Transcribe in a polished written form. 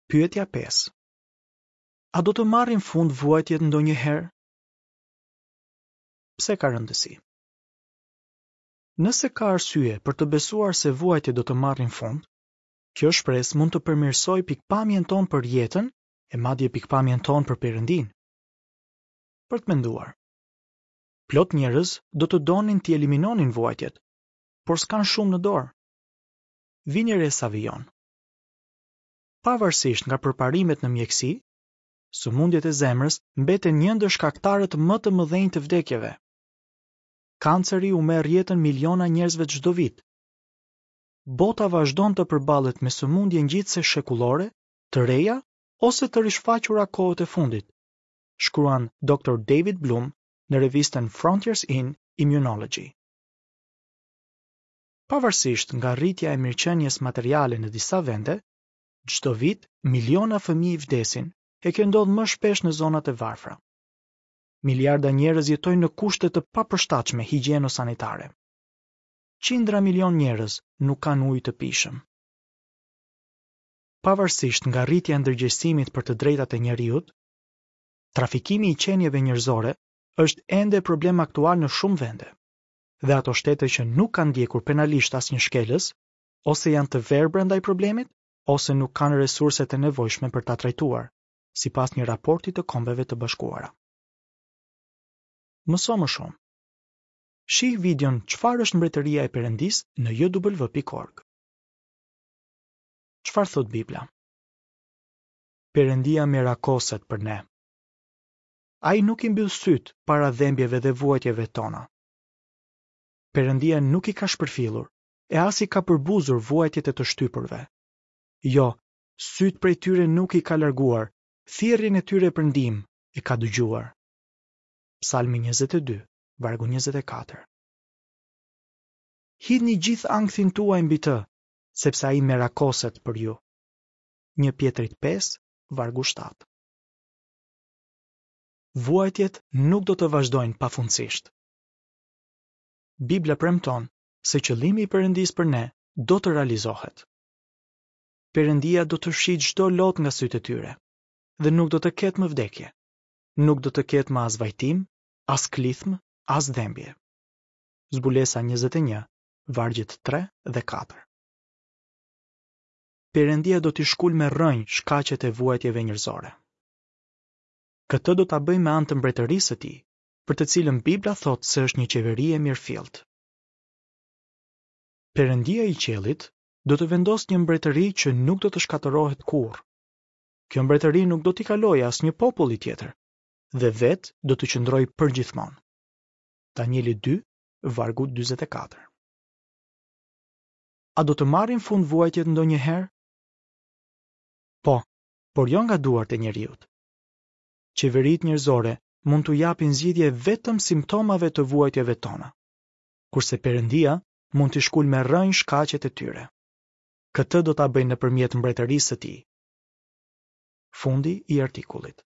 Pyetja 5. A do të marrin fund vuajtjet ndonjëherë? Pse ka rëndësi? Nëse ka arsye për të besuar se vuajtjet do të marrin fund, kjo shpresë mund të përmirësojë pikëpamjen tonë për jetën e madje pikëpamjen tonë për Perëndinë. Për të menduar. Plot njerëz do të donin t'i eliminonin vuajtjet, por s'kanë shumë në dorë. Vini re sa vijon. Pavarësisht nga përparimet në mjekësi, sëmundjet e zemrës mbeten një ndër shkaktarët më të mëdhenj të vdekjeve. Kanceri u merr jetën miliona njerëzve çdo vit. Bota vazhdon të përballet me sëmundje ngjitëse shekullore, të reja ose të rishfaqura kohët e fundit, shkruan Doctor David Bloom në revistën Frontiers in Immunology. Pavarësisht nga rritja e mirëqenies materiale në disa vende, çdo vit miliona fëmijë vdesin e kjo ndodh më shpesh në zonat e varfra. Miliarda njerëz jetojnë në kushte të papërshtatshme higjieno-sanitare. Qindra milionë njerëz nuk kanë ujë të pijshëm. Pavarësisht nga rritja e ndërgjegjësimit për të drejtat e njeriut, trafikimi i qenieve njerëzore është ende problem aktual në shumë vende. Dhe ato shtete që nuk kanë ndjekur penalisht asnjë shkelës, ose janë të verbra ndaj problemit, ose nuk kanë resurset e nevojshme për ta trajtuar, sipas një raporti të Kombeve të Bashkuara. Mëso më shumë. Shih videon Çfarë është Mbretëria e Perëndisë në jw.org. Çfarë thotë Bibla? Perëndia merakoset për ne. Ai nuk i mbyll sytë para dhembjeve dhe vuajtjeve tona. Perëndia nuk i ka shpërfillur e as i ka përbuzur vuajtjet e të shtypurve. Jo, sytë prej tyre nuk i ka larguar, thirrjen e tyre për ndihmë e ka dëgjuar. Psalmi 22, vargu 24. Hidhni gjithë ankthin tuaj mbi të, sepse ai merakoset për ju. 1 Pjetrit 5, vargu 7. Vuajtjet nuk do të vazhdojnë pafundësisht. Bibla premton se qëllimi i Perëndisë për ne do të realizohet. Perëndia do të fshijë çdo lot nga sytë e tyre dhe nuk do të ketë më vdekje. Nuk do të ketë më as vajtim, as klithmë, as dhembje. Zbulesa 21, vargjet 3 dhe 4. Perëndia do t'i shkulë me rrënjë shkaqet e vuajtjeve njerëzore. Këtë do ta bëjë me anë të mbretërisë së tij, për të cilën Bibla thotë se është një qeveri e mirëfilltë. Perëndia i qiellit do të vendosë një mbretëri që nuk do të shkatërrohet kurrë. Kjo mbretëri nuk do t'i kalojë asnjë populli tjetër dhe vetë do të qëndrojë përgjithmonë. Danieli 2, vargu 44. A do të marrin fund vuajtjet ndonjëherë? Po, por jo nga duart e njeriut. Qeveritë njerëzore mund t'u japin zgjidhje vetëm simptomave të vuajtjeve tona, kurse Perëndia mund t'i shkulë me rrënjë shkaqet e tyre. Këtë do ta bëjë nëpërmjet mbretërisë së tij. Fundi i artikullit.